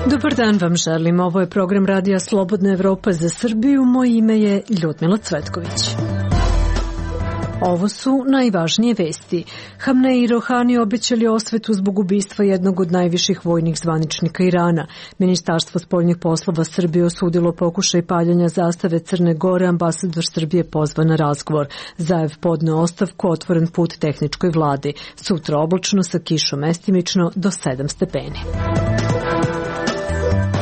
Dobar dan vam želim. Ovo je program Radija Slobodna Evropa za Srbiju. Moje ime je Ljudmila Cvetković. Ovo su najvažnije vesti. Hamnei i Rohani obećali osvetu zbog ubistva jednog od najviših vojnih zvaničnika Irana. Ministarstvo spoljnih poslova Srbije osudilo pokušaj paljenja zastave Crne Gore, ambasador Srbije pozvan na razgovor. Zaev podneo ostavku, otvoren put tehničkoj vladi. Sutra oblačno sa kišom mestimično do 7 stepeni.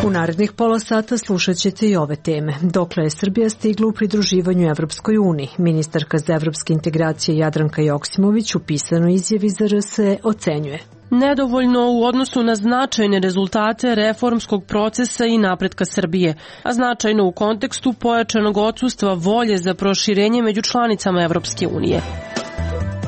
U narednih pola sata slušat ćete i ove teme. Dokle je Srbija stigla u pridruživanju Evropskoj uniji? Ministarka za evropske integracije Jadranka Joksimović u pisanoj izjavi za RS ocenjuje: nedovoljno u odnosu na značajne rezultate reformskog procesa i napretka Srbije, a značajno u kontekstu pojačanog odsustva volje za proširenje među članicama Evropske unije.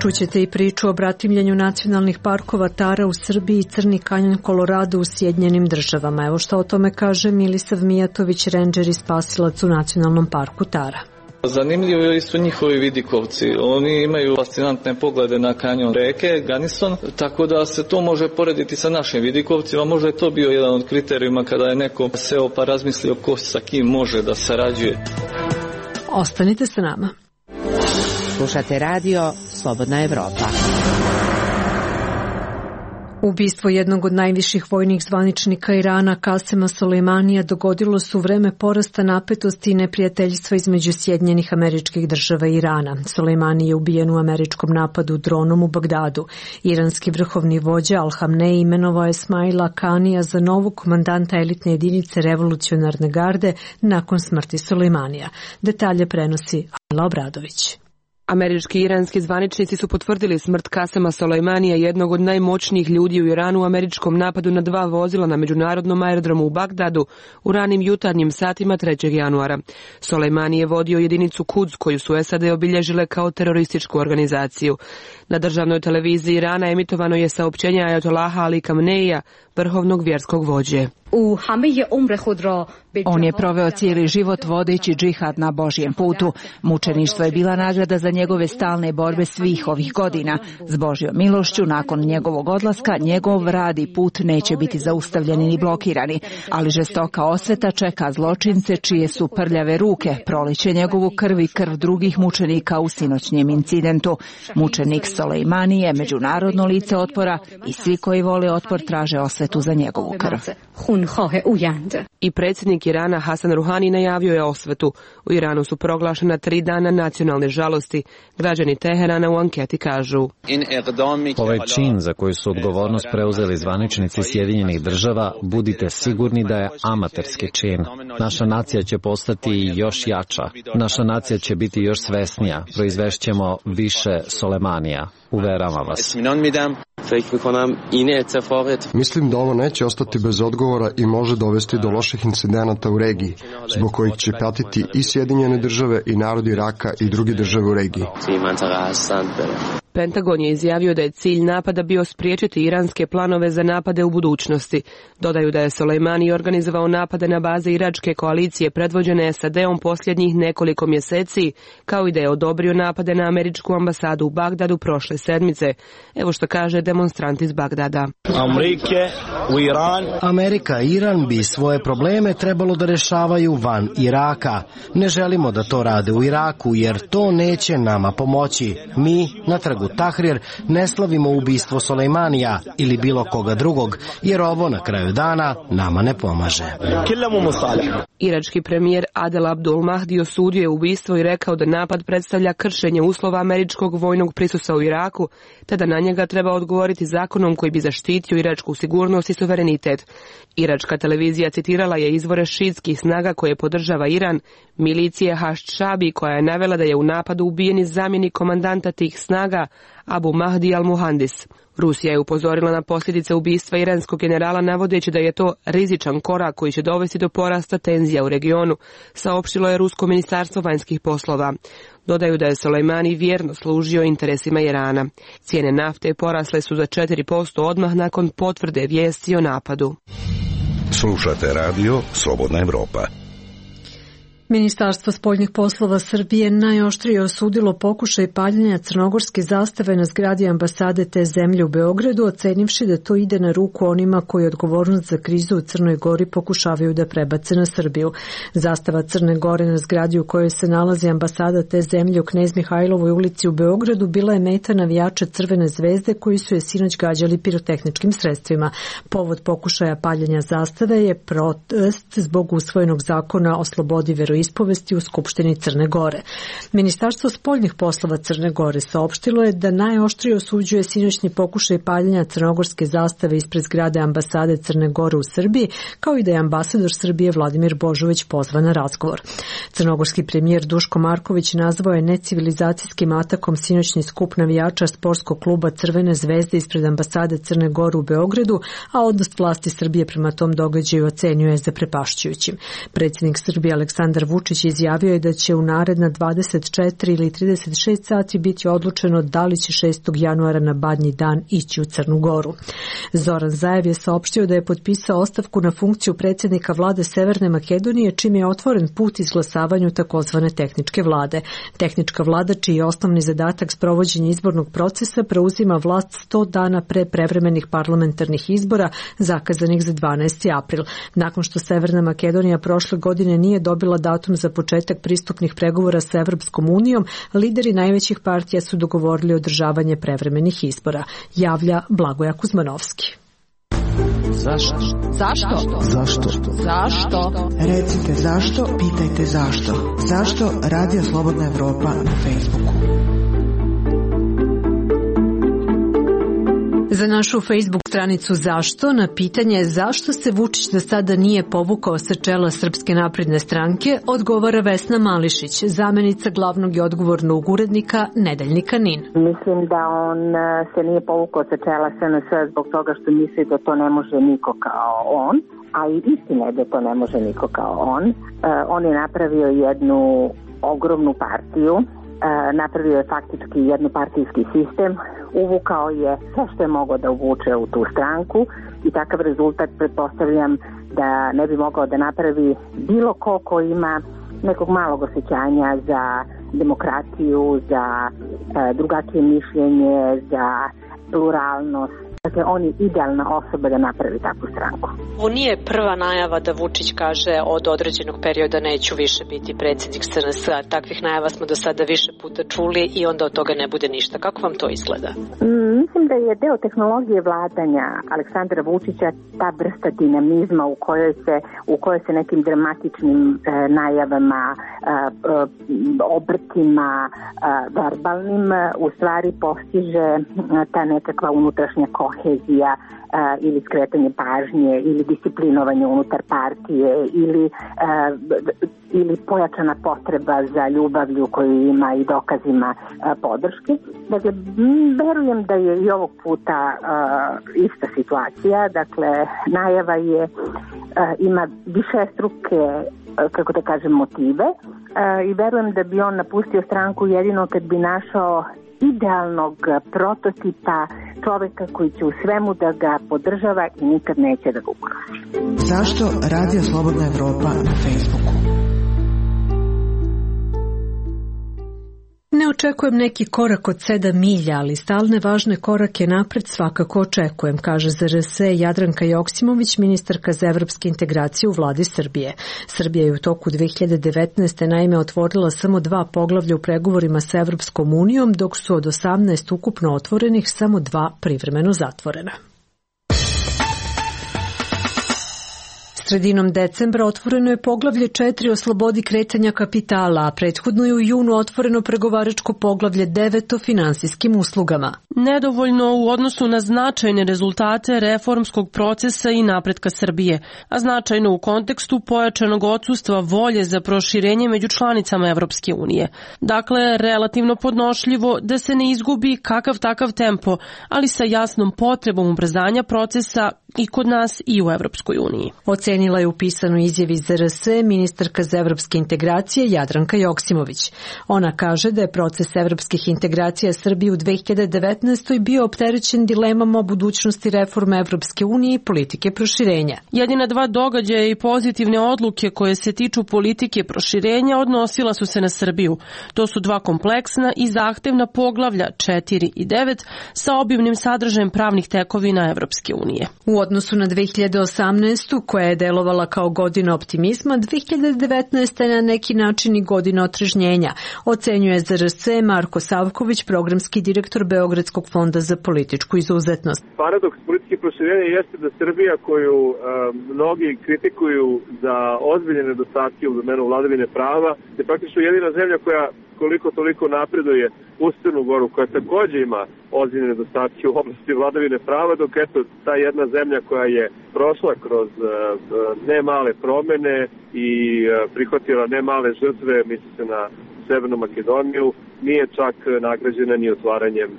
Čućete i priču o bratimljenju nacionalnih parkova Tara u Srbiji i Crni kanjon Kolorado u Sjedinjenim Državama. Evo šta o tome kaže Milisav Mijatović, rendžer i spasilac u nacionalnom parku Tara. Zanimljivi su njihovi vidikovci. Oni imaju fascinantne poglede na kanjon reke Ganison, tako da se to može porediti sa našim vidikovcima. Možda je to bio jedan od kriterijuma kada je neko seo pa razmislio ko sa kim može da sarađuje. Ostanite sa nama. Slušate radio Slobodna Evropa. Ubistvo jednog od najviših vojnih zvaničnika Irana, Kasema Sulejmanija, dogodilo se u vreme porasta napetosti i neprijateljstva između Sjedinjenih Američkih Država i Irana. Sulejmani je ubijen u američkom napadu dronom u Bagdadu. Iranski vrhovni vođa Al-Hamnei imenovao je Esmaila Kanija za novog komandanta elitne jedinice revolucionarne garde nakon smrti Sulejmanija. Detalje prenosi Ajla Obradović. Američki i iranski zvaničnici su potvrdili smrt Kasema Sulejmanija, jednog od najmoćnijih ljudi u Iranu, u američkom napadu na 2 vozila na međunarodnom aerodromu u Bagdadu u ranim jutarnjim satima 3. januara. Sulejmani je vodio jedinicu Quds, koju su SAD obilježile kao terorističku organizaciju. Na državnoj televiziji Irana emitovano je saopćenje Ajatollaha Ali Khameneija, vrhovnog vjerskog vođe. On je proveo cijeli život vodeći džihad na Božjem putu. Mučeništvo je bila nagrada za njegove stalne borbe svih ovih godina. S Božjom milošću, nakon njegovog odlaska, njegov rad i put neće biti zaustavljeni ni blokirani, ali žestoka osveta čeka zločince čije su prljave ruke proliće njegovu krv i krv drugih mučenika u sinoćnjem incidentu. Mučenik Sulejmani je međunarodno lice otpora i svi koji vole otpor traže osvetu za njegovu krv. I predsjednik Irana Hasan Ruhani najavio je osvetu. U Iranu su proglašena 3 dana nacionalne žalosti. Građani Teherana u anketi kažu: ovaj čin za koji su odgovornost preuzeli zvaničnici Sjedinjenih Država, budite sigurni da je amaterski čin. Naša nacija će postati još jača. Naša nacija će biti još svesnija. Proizvešćemo više Sulejmanija. Uveravam vas. Mislim da ovo neće ostati bez odgovora i može dovesti do loših incidenata u regiji, zbog kojih će patiti i Sjedinjene Države i narod Iraka i druge države u regiji. Pentagon je izjavio da je cilj napada bio spriječiti iranske planove za napade u budućnosti. Dodaju da je Sulejmani organizovao napade na baze iračke koalicije predvođene SAD-om posljednjih nekoliko mjeseci, kao i da je odobrio napade na američku ambasadu u Bagdadu prošle sedmice. Evo što kaže demonstrant iz Bagdada. Amerika i Iran bi svoje probleme trebalo da rešavaju van Iraka. Ne želimo da to rade u Iraku, jer to neće nama pomoći. Mi na trgu Tahrir ne slavimo ubistvo Sulejmanija ili bilo koga drugog, jer ovo na kraju dana nama ne pomaže. Irački premijer Adel Abdul Mahdi osudio je ubistvo i rekao da napad predstavlja kršenje uslova američkog vojnog prisustva u Iraku, te da na njega treba odgovoriti zakonom koji bi zaštitio iračku sigurnost i suverenitet. Iračka televizija citirala je izvore šiitskih snaga koje podržava Iran, milicije Hašd-Šabi, koja je navela da je u napadu ubijeni zamjenik komandanta tih snaga Abu Mahdi al-Muhandis. Rusija je upozorila na posljedice ubistva iranskog generala navodeći da je to rizičan korak koji će dovesti do porasta tenzija u regionu, saopštilo je Rusko ministarstvo vanjskih poslova. Dodaju da je Sulejmani vjerno služio interesima Irana. Cijene nafte porasle su za 4% odmah nakon potvrde vijesti o napadu. Slušate radio Slobodna Evropa. Ministarstvo spoljnih poslova Srbije najoštrije osudilo pokušaj paljenja crnogorske zastave na zgradi ambasade te zemlje u Beogradu, ocenivši da to ide na ruku onima koji odgovornost za krizu u Crnoj Gori pokušavaju da prebace na Srbiju. Zastava Crne Gore na zgradi u kojoj se nalazi ambasada te zemlje u Knez Mihajlovoj ulici u Beogradu bila je meta navijača Crvene zvezde koji su je sinoć gađali pirotehničkim sredstvima. Povod pokušaja paljenja zastave je protest zbog usvojenog zakona o slobodi veroispovesti u Skupštini Crne Gore. Ministarstvo spoljnih poslova Crne Gore saopštilo je da najoštrije osuđuje sinoćni pokušaj paljenja crnogorske zastave ispred zgrade ambasade Crne Gore u Srbiji, kao i da je ambasador Srbije Vladimir Božović pozvan na razgovor. Crnogorski premijer Duško Marković nazvao je necivilizacijskim atakom sinoćni skup navijača sportskog kluba Crvene zvezde ispred ambasade Crne Gore u Beogradu, a odnos vlasti Srbije prema tom događaju ocenio je zaprepašćujućim. Predsjednik Srbije Aleksandar Vučić izjavio je da će u naredna 24 ili 36 sati biti odlučeno da li će 6. januara na Badnji dan ići u Crnu Goru. Zoran Zaev je saopštio da je potpisao ostavku na funkciju predsjednika vlade Severne Makedonije, čim je otvoren put izglasavanju takozvane tehničke vlade. Tehnička vlada, čiji je osnovni zadatak sprovođenje izbornog procesa, preuzima vlast 100 dana pre prevremenih parlamentarnih izbora zakazanih za 12. april. Nakon što Severna Makedonija prošle godine nije dobila datum za početak pristupnih pregovora sa Evropskom unijom, lideri najvećih partija su dogovorili održavanje prevremenih izbora. Javlja Blagoja Kuzmanovski. Zašto? Zašto? Zašto? Zašto? Recite zašto, pitajte zašto. Zašto Radio Slobodna Evropa na Facebooku? Za našu Facebook stranicu Zašto na pitanje zašto se Vučić do sada nije povukao sa čela Srpske napredne stranke odgovara Vesna Mališić, zamenica glavnog i odgovornog urednika Nedeljnika NIN. Mislim da on se nije povukao sa čela SNS zbog toga što misli da to ne može niko kao on, a i istina je da to ne može niko kao on. On je napravio jednu ogromnu partiju, napravio je faktički jednopartijski sistem, uvukao je sve što je mogao da uvuče u tu stranku i takav rezultat pretpostavljam da ne bi mogao da napravi bilo ko ima nekog malog osjećanja za demokratiju, za drugačije mišljenje, za pluralnost. Dakle, on je idealna osoba da napravi takvu stranku. Ovo nije prva najava da Vučić kaže od određenog perioda neću više biti predsjednik SNS. Takvih najava smo do sada više puta čuli i onda od toga ne bude ništa. Kako vam to izgleda? Mislim da je deo tehnologije vladanja Aleksandra Vučića ta vrsta dinamizma u kojoj se nekim dramatičnim najavama, obrtima, verbalnim u stvari postiže ta nekakva unutrašnja kohezija ili skretanje pažnje ili disciplinovanje unutar partije ili pojačana potreba za ljubavlju koju ima i dokazima podrške. Dakle, verujem da je i ovog puta ista situacija. Dakle, najava ima višestruke, kako da kažem, motive i verujem da bi on napustio stranku jedino kad bi našao idealnog prototipa čoveka koji će u svemu da ga podržava i nikad neće da ga ugrozi. Zašto Radio Slobodna Evropa na Facebooku? Ne očekujem neki korak od 7 milja, ali stalne važne korake napred svakako očekujem, kaže za RS Jadranka Joksimović, ministarka za evropske integracije u vladi Srbije. Srbija je u toku 2019. naime otvorila samo 2 poglavlja u pregovorima sa Evropskom unijom, dok su od 18 ukupno otvorenih samo 2 privremeno zatvorena. Sredinom decembra otvoreno je poglavlje 4 o slobodi kretanja kapitala, a prethodno je u junu otvoreno pregovaračko poglavlje 9 o finansijskim uslugama. Nedovoljno u odnosu na značajne rezultate reformskog procesa i napretka Srbije, a značajno u kontekstu pojačanog odsustva volje za proširenje među članicama Evropske unije. Dakle, relativno podnošljivo da se ne izgubi kakav takav tempo, ali sa jasnom potrebom ubrzanja procesa i kod nas i u Evropskoj uniji. Ocenila je u pisanoj izjavi ZRS ministarka za evropske integracije Jadranka Joksimović. Ona kaže da je proces evropskih integracija Srbije u 2019. bio opterećen dilemama o budućnosti reforme Evropske unije i politike proširenja. Jedina dva događaja i pozitivne odluke koje se tiču politike proširenja odnosila su se na Srbiju. To su dva kompleksna i zahtevna poglavlja 4 i 9 sa obimnim sadržajem pravnih tekovina Evropske unije. U odnosu na 2018. koja je delovala kao godina optimizma, 2019. je na neki način i godina otrežnjenja, ocenjuje ZRS Marko Savković, programski direktor Beogradskog fonda za političku izuzetnost. Paradoks politike proširenja jeste da Srbija, koju mnogi kritikuju za ozbiljne nedostatke u domenu vladavine prava, je praktično jedina zemlja koja koliko toliko napreduje uz Crnu Goru, koja takođe ima ozbiljne nedostatke u oblasti vladavine prava, dok eto ta jedna zemlja koja je prošla kroz nemale promene i prihvatila nemale žrtve, misli se na Severnu Makedoniju, nije čak nagrađena ni otvaranjem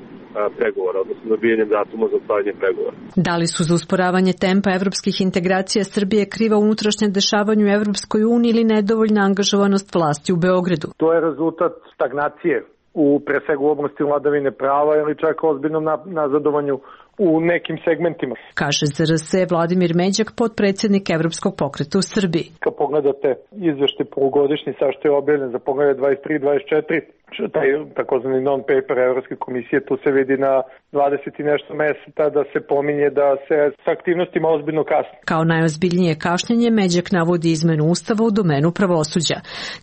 pregovora, odnosno dobijanjem datuma za otvaranje pregovora. Da li su za usporavanje tempa evropskih integracija Srbije kriva unutrašnje dešavanje u Evropskoj uniji ili nedovoljna angažovanost vlasti u Beogradu? To je rezultat stagnacije pre svega u oblasti vladavine prava ili čak ozbiljnom nazadovanju u nekim segmentima. Kaže ZRS Vladimir Međak, potpredsjednik Evropskog pokreta u Srbiji. Kad pogledate izveštaj polugodišnji sa što je objavljen za poglavlje 23 i 24, taj takozvani non-paper Evropske komisije, tu se vidi na 20 i nešto mesta da se pominje da se s aktivnostima ozbiljno kasni. Kao najozbiljnije kašnjenje Međak navodi izmenu ustava u domenu pravosuđa.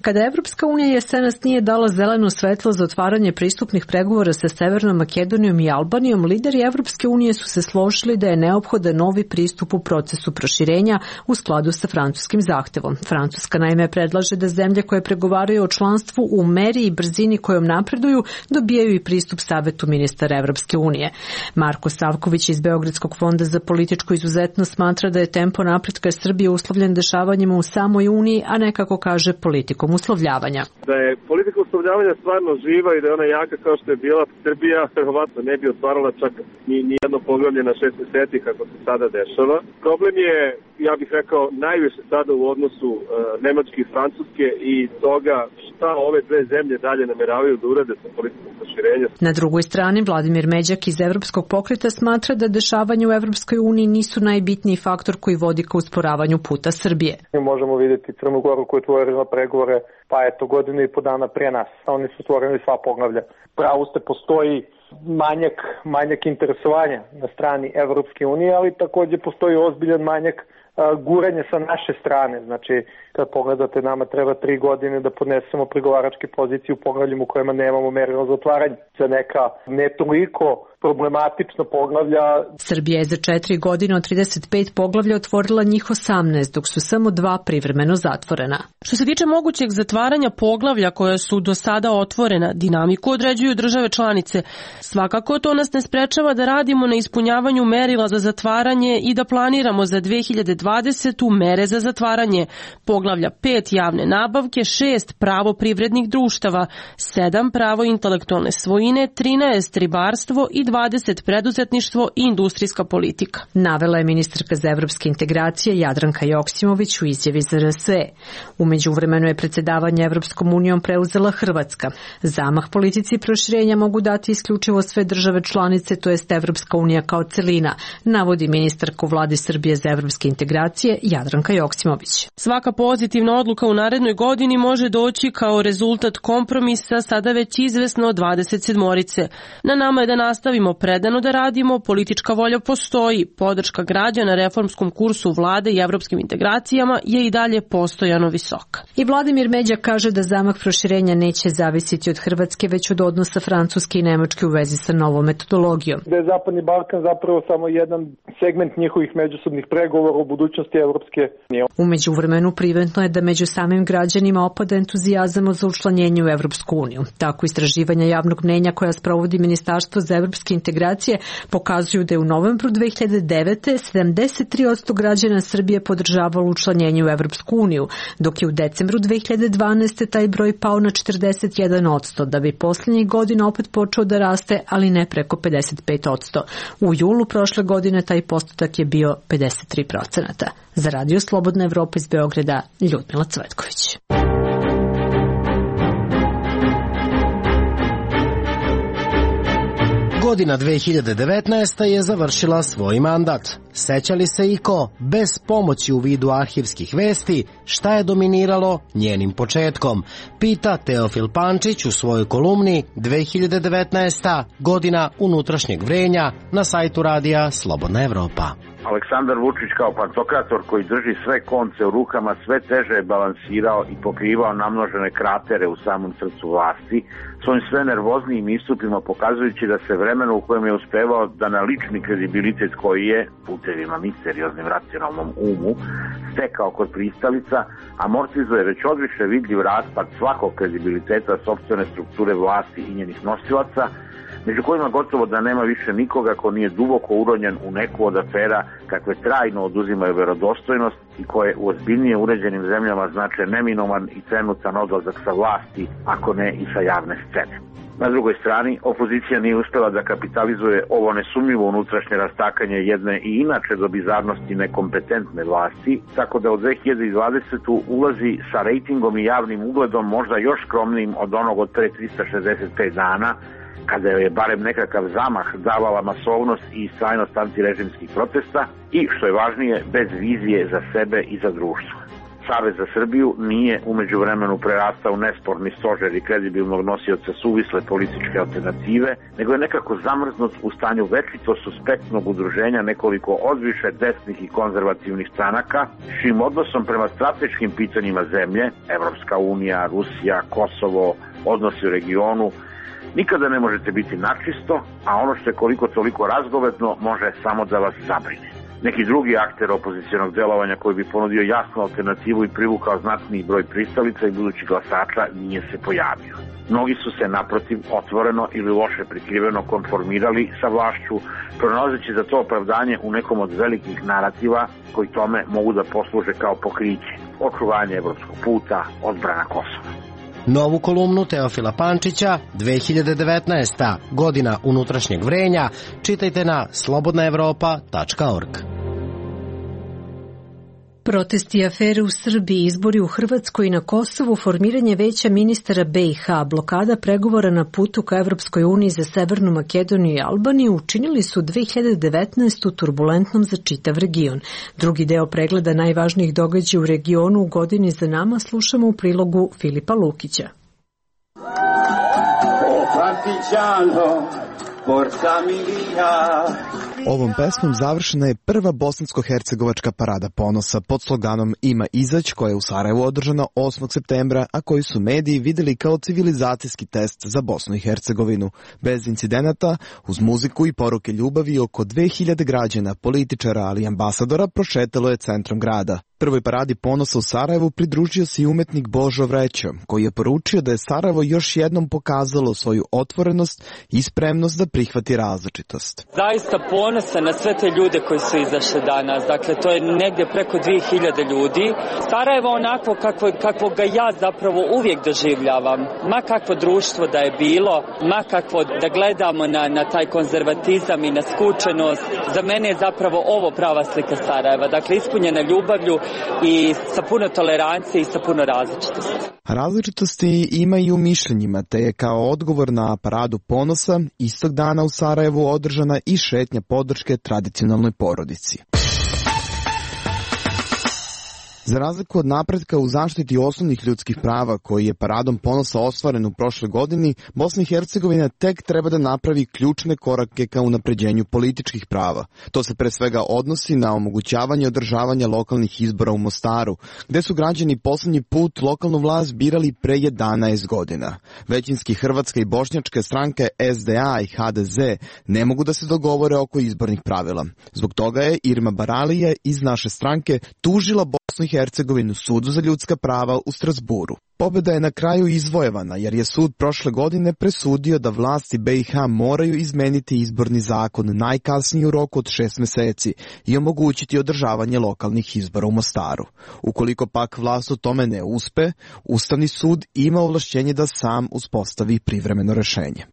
Kada Evropska unija jesenas nije dala zeleno svetlo za otvaranje pristupnih pregovora sa Severnom Makedonijom i Albanijom, lideri Evropske unije su se složili da je neophodan novi pristup u procesu proširenja u skladu sa francuskim zahtevom. Francuska naime predlaže da zemlje koje pregovaraju o članstvu u meri i brzini kojom napreduju dobijaju i pristup Savetu ministara Evropske unije. Marko Savković iz Beogradskog fonda za političku izuzetnost smatra da je tempo napretka Srbije uslovljen dešavanjima u samoj Uniji, a ne kako kaže politikom uslovljavanja. Da je politika uslovljavanja stvarno živa i da je ona jaka kao što je bila, Srbija verovatno ne bi otvarala čak ni jedno poglavlje na 6 meseci kako se sada dešava. Problem je, ja bih rekao, najviše sada u odnosu Nemačke i Francuske i toga šta ove dve zemlje dalje nameravaju da urade sa politikom proširenja. Na drugoj strani, Vladimir Međak iz Evropskog pokreta smatra da dešavanje u Evropskoj uniji nisu najbitniji faktor koji vodi ka usporavanju puta Srbije. Mi možemo vidjeti Crnu Goru koja je otvorila pregovore, pa eto godinu i po dana pre nas. Oni su otvorili sva poglavlja. Pravo ste, postoji manjak interesovanja na strani Evropske unije, ali takođe postoji ozbiljan manjak guranje sa naše strane. Znači, kad pogledate, nama treba 3 godine da podnesemo pregovaračke pozicije u poglavljima u kojima nemamo merilo za otvaranje. Za neka ne toliko problematična poglavlja. Srbija je za 4 godine od 35 poglavlja otvorila njih 18, dok su samo 2 privremeno zatvorena. Što se tiče mogućeg zatvaranja poglavlja koja su do sada otvorena, dinamiku određuju države članice. Svakako to nas ne sprečava da radimo na ispunjavanju merila za zatvaranje i da planiramo za 2020. mere za zatvaranje. Poglavlja 5 javne nabavke, 6 pravo privrednih društava, 7 pravo intelektualne svojine, 13 ribarstvo i 20 preduzetništvo i industrijska politika. Navela je ministarka za evropske integracije Jadranka Joksimović u izjavi za RS. U međuvremenu je predsjedavanje Evropskom unijom preuzela Hrvatska. Zamah politici proširenja mogu dati isključivo sve države članice, to jest Evropska unija kao celina, navodi ministarka u vladi Srbije za evropske integracije Jadranka Joksimović. Svaka pozitivna odluka u narednoj godini može doći kao rezultat kompromisa sada već izvesno 27-orice. Na nama je da nastavimo predano da radimo, politička volja postoji, podrška građana reformskom kursu vlade i evropskim integracijama je i dalje postojano visoka. I Vladimir Međak kaže da zamah proširenja neće zavisiti od Hrvatske, već od odnosa Francuske i Nemačke u vezi sa novom metodologijom. Da je Zapadni Balkan zapravo samo jedan segment njihovih međusobnih pregovora o budućnosti Evropske unije. U međuvremenu primetno je da među samim građanima opada entuzijazam za učlanjenje u Evropsku uniju. Tako istraživanja javnog mnenja koja sprovodi Ministarstvo za evropske evropske integracije pokazuju da je u novembru 2009. 73% građana Srbije podržavalo učlanjenje u Evropsku uniju, dok je u decembru 2012. taj broj pao na 41%, da bi posljednjih godina opet počeo da raste, ali ne preko 55%. U julu prošle godine taj postotak je bio 53%. Za Radio Slobodna Evropa iz Beograda, Ljudmila Cvetković. Godina 2019. je završila svoj mandat. Seća li se iko, bez pomoći u vidu arhivskih vesti, šta je dominiralo njenim početkom? Pita Teofil Pančić u svojoj kolumni 2019. godina unutrašnjeg vrenja na sajtu radija Slobodna Evropa. Aleksandar Vučić kao pantokrator koji drži sve konce u rukama sve teže je balansirao i pokrivao namnožene kratere u samom srcu vlasti, svojim sve nervoznijim istupima pokazujući da se vremeno u kojem je uspevao da na lični kredibilitet koji je, putevima misterioznim racionalnom umu, stekao kod pristalica, amortizuje već odviše vidljiv raspad svakog kredibiliteta sopstvene strukture vlasti i njenih nosilaca, među kojima gotovo da nema više nikoga ko nije duboko uronjen u neku od afera kakve trajno oduzimaju verodostojnost i koje u ozbiljnije uređenim zemljama znače neminoman i trenutan odlazak sa vlasti, ako ne i sa javne scene. Na drugoj strani, opozicija nije uspela da kapitalizuje ovo nesumnjivo unutrašnje rastakanje jedne i inače do bizarnosti nekompetentne vlasti, tako da od 2020. ulazi sa rejtingom i javnim ugledom možda još skromnijim od onog od pre 365 dana, kada je barem nekakav zamah davala masovnost i istrajnost antirežimskih protesta i, što je važnije, bez vizije za sebe i za društvo. Savez za Srbiju nije umeđu vremenu prerastao nesporni stožer i kredibilnog nosioca suvisle političke alternative, nego je nekako zamrznut u stanju večito suspektnog udruženja nekoliko odviše desnih i konzervativnih stranaka, čijim odnosom prema strateškim pitanjima zemlje, Evropska unija, Rusija, Kosovo, odnosi u regionu, nikada ne možete biti načisto, a ono što je koliko toliko razgovetno može samo da vas zabrine. Neki drugi akter opozicionog delovanja koji bi ponudio jasnu alternativu i privukao znatniji broj pristalica i budućih glasača nije se pojavio. Mnogi su se naprotiv otvoreno ili loše prikriveno konformirali sa vlašću, pronalazeći za to opravdanje u nekom od velikih narativa koji tome mogu da posluže kao pokriće. Očuvanje evropskog puta, odbrana Kosova. Novu kolumnu Teofila Pančića 2019. godina unutrašnjeg vrenja čitajte na slobodnaevropa.org. Protesti i afere u Srbiji, izbori u Hrvatskoj i na Kosovu, formiranje veća ministara BiH, blokada pregovora na putu ka Evropskoj uniji za Severnu Makedoniju i Albaniju učinili su 2019. turbulentnom za čitav region. Drugi deo pregleda najvažnijih događaja u regionu u godini za nama slušamo u prilogu Filipa Lukića. Ovom pesmom završena je prva bosansko-hercegovačka parada ponosa pod sloganom Ima izać, koja je u Sarajevu održana 8. septembra, a koji su mediji videli kao civilizacijski test za Bosnu i Hercegovinu. Bez incidenata, uz muziku i poruke ljubavi, oko 2000 građana, političara, ali i ambasadora prošetalo je centrom grada. Prvoj paradi ponosa u Sarajevu pridružio se i umetnik Božo Vrećo, koji je poručio da je Sarajevo još jednom pokazalo svoju otvorenost i spremnost da prihvati različitost. Zaista ponosan na sve te ljude koji su izašli danas. Dakle, to je negdje preko 2000 ljudi. Sarajevo onako kako ga ja zapravo uvijek doživljavam. Ma kakvo društvo da je bilo, ma kakvo da gledamo na taj konzervatizam i na skučenost. Za mene je zapravo ovo prava slika Sarajeva. Dakle, ispunjena ljubavlju i sa puno tolerancije i sa puno različitosti. Različitosti ima i u mišljenjima, te je kao odgovor na paradu ponosa istog dana u Sarajevu održana i šetnja podrške tradicionalnoj porodici. Za razliku od napretka u zaštiti osnovnih ljudskih prava koji je paradom ponosa ostvaren u prošloj godini, Bosna i Hercegovina tek treba da napravi ključne korake ka unapređenju političkih prava. To se pre svega odnosi na omogućavanje održavanja lokalnih izbora u Mostaru, gde su građani poslednji put lokalnu vlast birali pre 11 godina. Većinski hrvatska i bošnjačke stranke SDA i HDZ ne mogu da se dogovore oko izbornih pravila. Zbog toga je Irma Baralija iz naše stranke tužila Bosnu i Hercegovinu Sudu za ljudska prava u Strasburu. Pobjeda je na kraju izvojevana jer je sud prošle godine presudio da vlasti BiH moraju izmeniti izborni zakon najkasnije u roku od 6 meseci i omogućiti održavanje lokalnih izbora u Mostaru. Ukoliko pak vlast u tome ne uspe, Ustavni sud ima ovlašćenje da sam uspostavi privremeno rešenje.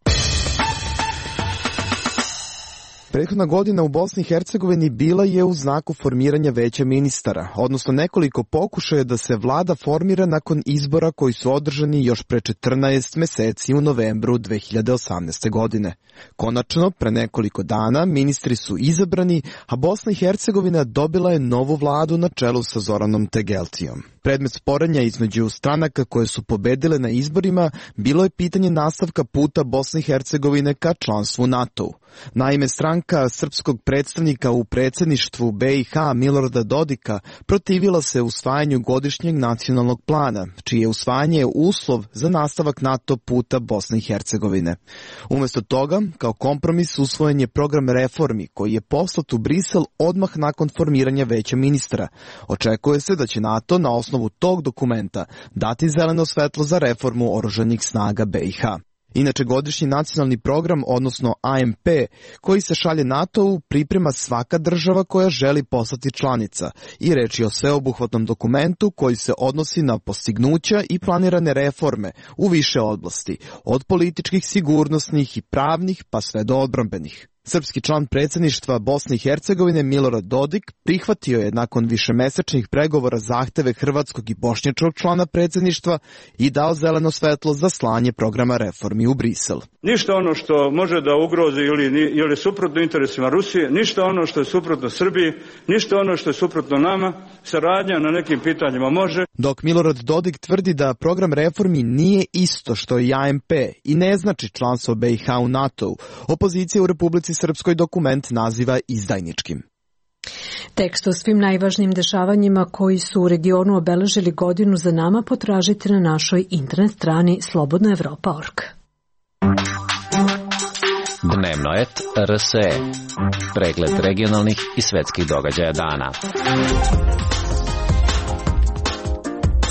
Prethodna godina u Bosni i Hercegovini bila je u znaku formiranja veća ministara, odnosno nekoliko pokušaja da se vlada formira nakon izbora koji su održani još pre 14 meseci u novembru 2018. godine. Konačno, pre nekoliko dana, ministri su izabrani, a Bosna i Hercegovina dobila je novu vladu na čelu sa Zoranom Tegeltijom. Predmet sporenja između stranaka koje su pobedile na izborima bilo je pitanje nastavka puta Bosne i Hercegovine ka članstvu NATO-u. Naime, stranka srpskog predstavnika u predsjedništvu BiH Milorada Dodika protivila se usvajanju godišnjeg nacionalnog plana, čije usvajanje je uslov za nastavak NATO puta Bosne i Hercegovine. Umjesto toga, kao kompromis usvojen je program reformi koji je poslat u Brisel odmah nakon formiranja veća ministra. Očekuje se da će NATO na osnovu tog dokumenta dati zeleno svetlo za reformu oružanih snaga BiH. Inače, godišnji nacionalni program, odnosno AMP, koji se šalje NATO-u, priprema svaka država koja želi postati članica i reč je o sveobuhvatnom dokumentu koji se odnosi na postignuća i planirane reforme u više oblasti, od političkih, sigurnosnih i pravnih pa sve do odbrambenih. Srpski član predsjedništva Bosne i Hercegovine Milorad Dodik prihvatio je nakon višemesečnih pregovora zahteve hrvatskog i bošnjačkog člana predsjedništva i dao zeleno svetlo za slanje programa reformi u Brisel. Ništa ono što može da ugrozi ili suprotno interesima Rusije, ništa ono što je suprotno Srbiji, ništa ono što je suprotno nama, saradnja na nekim pitanjima može. Dok Milorad Dodik tvrdi da program reformi nije isto što i AMP i ne znači članstvo BiH u NATO-u, opozicija u Republici Srpskoj dokument naziva izdajničkim. Tekst o svim najvažnijim dešavanjima koji su u regionu obeležili godinu za nama potražite na našoj internet strani slobodnaevropa.org. Dnevnoet RSE. Pregled regionalnih i svetskih događaja dana.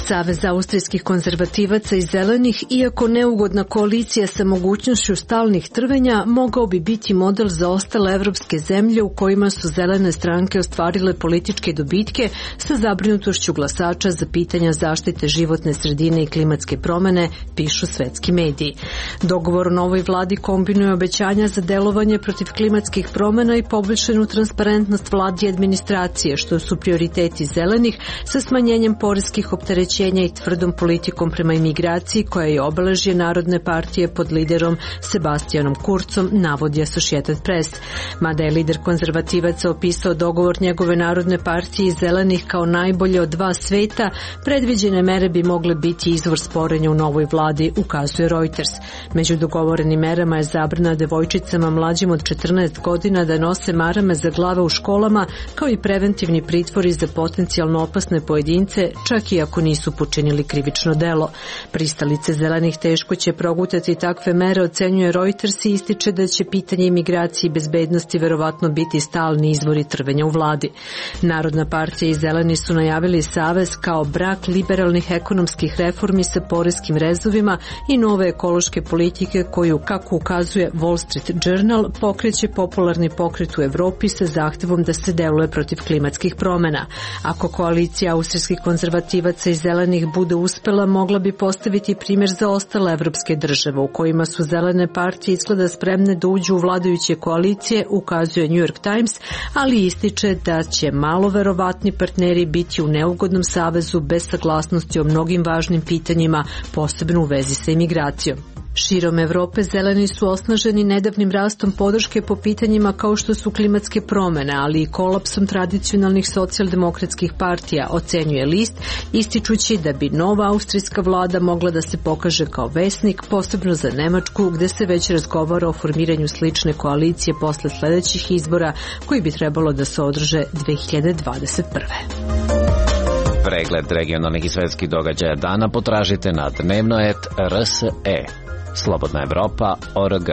Savez austrijskih konzervativaca i zelenih, iako neugodna koalicija sa mogućnošću stalnih trvenja, mogao bi biti model za ostale evropske zemlje u kojima su zelene stranke ostvarile političke dobitke sa zabrinutošću glasača za pitanja zaštite životne sredine i klimatske promene, pišu svetski mediji. Dogovor o novoj vladi kombinuje obećanja za delovanje protiv klimatskih promena i poboljšanu transparentnost vladi i administracije, što su prioriteti zelenih, sa smanjenjem poreskih opterećenja i tvrdom politikom prema imigraciji koja je obeležje Narodne partije pod liderom Sebastianom Kurzom, navodi Associated Press. Mada je lider konzervativaca opisao dogovor njegove Narodne partije i zelenih kao najbolje od dva sveta, predviđene mere bi mogle biti izvor sporenja u novoj vladi, ukazuje Reuters. Među dogovorenim merama je zabrana devojčicama mlađim od 14 godina da nose marame za glave u školama, kao i preventivni pritvori za potencijalno opasne pojedince, čak i ako nisu počinili krivično delo. Pristalice zelenih teško će progutati takve mere, ocenjuje Reuters i ističe da će pitanje imigracije i bezbednosti verovatno biti stalni izvori trvenja u vladi. Narodna partija i zeleni su najavili savez kao brak liberalnih ekonomskih reformi sa poreskim rezovima i nove ekološke politike koju, kako ukazuje Wall Street Journal, pokreće popularni pokret u Evropi sa zahtevom da se deluje protiv klimatskih promena. Ako koalicija austrijskih konzervativaca i zelenih bude uspela, mogla bi postaviti primjer za ostale evropske države u kojima su zelene partije izgleda spremne da uđu u vladajuće koalicije, ukazuje New York Times, ali ističe da će malo verovatni partneri biti u neugodnom savezu bez saglasnosti o mnogim važnim pitanjima, posebno u vezi sa imigracijom. Širom Evrope zeleni su osnaženi nedavnim rastom podrške po pitanjima kao što su klimatske promene, ali i kolapsom tradicionalnih socijaldemokratskih partija, ocenjuje list, ističući da bi nova austrijska vlada mogla da se pokaže kao vesnik, posebno za Nemačku, gde se već razgovara o formiranju slične koalicije posle sledećih izbora, koji bi trebalo da se održe 2021. Pregled regionalnih i svetskih događaja dana potražite na dnevnoet RSE. Slobodna Evropa.org.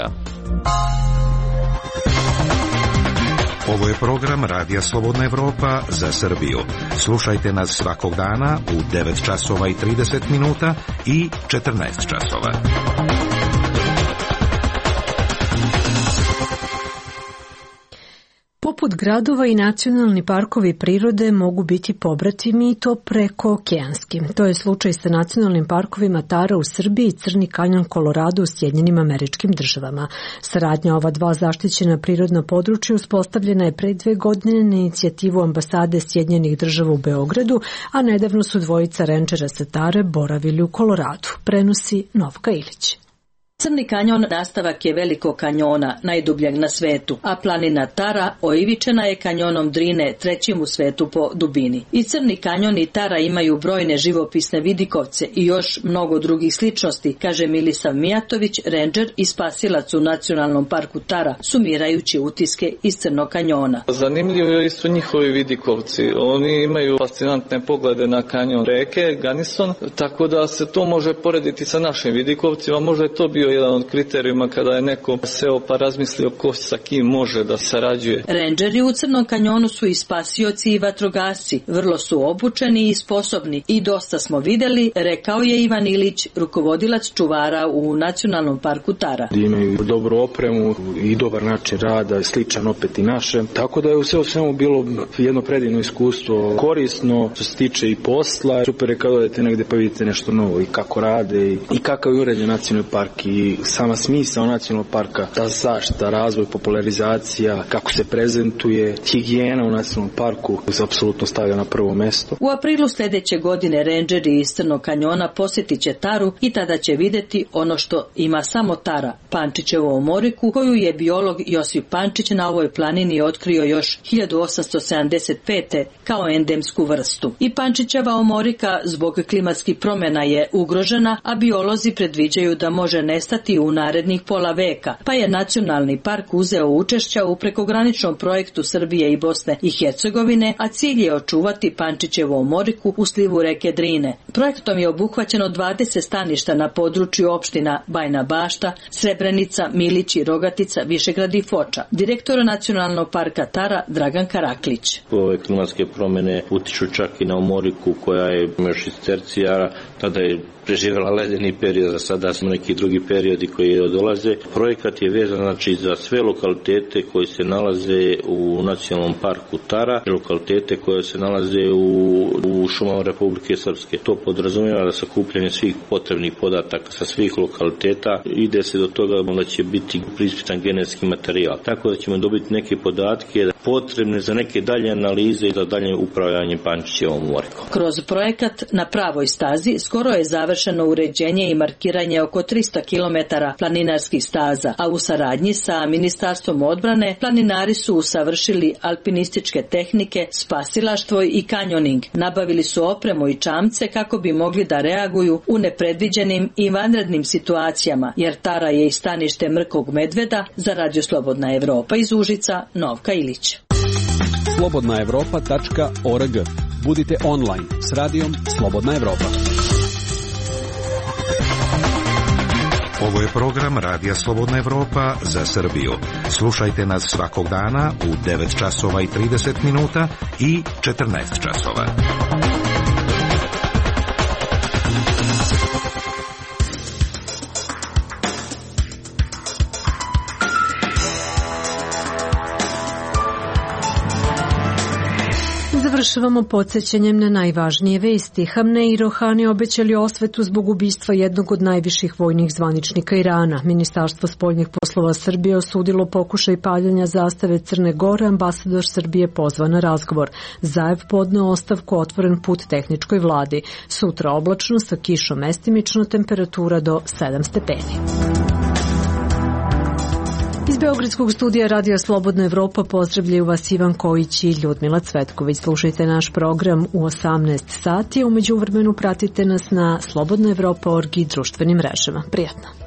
Ovo je program Radija Slobodna Evropa za Srbiju. Slušajte nas svakog dana u 9 časova i 30 minuta i 14 časova. Poput gradova i nacionalni parkovi prirode mogu biti pobratimi i to preko okeanski. To je slučaj sa nacionalnim parkovima Tara u Srbiji i Crni kanjon Kolorado u Sjedinjenim Američkim Državama. Saradnja ova dva zaštićena prirodna područja uspostavljena je pre 2 godine na inicijativu ambasade Sjedinjenih Država u Beogradu, a nedavno su dvojica rendžera sa Tare boravili u Koloradu. Prenosi Novka Ilić. Crni kanjon nastavak je Velikog kanjona, najdubljeg na svetu, a planina Tara oivičena je kanjonom Drine, trećim u svetu po dubini. I Crni kanjon i Tara imaju brojne živopisne vidikovce i još mnogo drugih sličnosti, kaže Milisav Mijatović, rendžer i spasilac u Nacionalnom parku Tara, sumirajući utiske iz Crnog kanjona. Zanimljivi su njihovi vidikovci. Oni imaju fascinantne poglede na kanjon reke Ganison, tako da se to može porediti sa našim vidikovcima. Možda je to bio jedan od kriterijuma kada je neko seo pa razmislio ko sa kim može da sarađuje. Rendžeri u Crnom kanjonu su i spasioci i vatrogasci. Vrlo su obučeni i sposobni i dosta smo videli, rekao je Ivan Ilić, rukovodilac čuvara u Nacionalnom parku Tara. Imaju dobru opremu i dobar način rada, sličan opet i našem. Tako da je u svemu bilo jedno predivno iskustvo, korisno, što se tiče i posla. Super je kada odete negde pa vidite nešto novo i kako rade i kakav je uređen nacionalni park i sama smisao nacionalnog parka, ta zaštita, razvoj, popularizacija, kako se prezentuje, higijena u nacionalnom parku se apsolutno stavlja na prvo mesto. U aprilu sljedeće godine rendžeri iz Crnog kanjona posjetit će Taru i tada će vidjeti ono što ima samo Tara, Pančićevu omoriku, koju je biolog Josip Pančić na ovoj planini otkrio još 1875. kao endemsku vrstu. I Pančićeva omorika zbog klimatskih promjena je ugrožena, a biolozi predviđaju da može nestati u narednih pola veka, pa je Nacionalni park uzeo učešća u prekograničnom projektu Srbije i Bosne i Hercegovine, a cilj je očuvati Pančićevu omoriku u slivu reke Drine. Projektom je obuhvaćeno 20 staništa na području opština Bajna Bašta, Srebrenica, Milići, Rogatica, Višegrad i Foča. Direktor Nacionalnog parka Tara Dragan Karaklić. Ove klimatske promjene utiču čak i na omoriku koja je još iz tercijara, tada je preživjela ledeni period, za sada smo neki drugi periodi koji dolaze. Projekat je vezan znači za sve lokalitete koji se nalaze u Nacionalnom parku Tara, lokalitete koje se nalaze u šumama Republike Srpske. To podrazumijeva da sakupljanje svih potrebnih podataka sa svih lokaliteta ide se do toga da će biti preispitan genetski materijal. Tako da ćemo dobiti neke podatke potrebne za neke dalje analize i za dalje upravljanje Pančićevom omorikom. Kroz projekat Na pravoj stazi skoro je završeno uređenje i markiranje oko 300 km planinarskih staza, a u saradnji sa Ministarstvom odbrane planinari su usavršili alpinističke tehnike, spasilaštvo i kanjoning. Nabavili su opremu i čamce kako bi mogli da reaguju u nepredviđenim i vanrednim situacijama, jer Tara je i stanište mrkog medveda. Za Radio Slobodna Evropa iz Užica, Novka Ilić. slobodnaevropa.org. Budite online s radijom Slobodna Evropa. Ovo je program Radija Slobodna Evropa za Srbiju. Slušajte nas svakog dana u 9 časova i 30 minuta i 14 časova. Završavamo podsjećanjem na najvažnije vesti. Hamnej i Rohani obećali osvetu zbog ubistva jednog od najviših vojnih zvaničnika Irana. Ministarstvo spoljnih poslova Srbije osudilo pokušaj paljenja zastave Crne Gore, ambasador Srbije pozvan na razgovor. Zajev podneo ostavku, otvoren put tehničkoj vladi. Sutra oblačno sa kišom, mestimično, temperatura do 7 stepeni. Iz Beogradskog studija Radija Slobodna Evropa pozdravljaju vas Ivan Kojić i Ljudmila Cvetković. Slušajte naš program u 18 sati, a u međuvremenu pratite nas na slobodnaevropa.org i društvenim mrežama. Prijatno.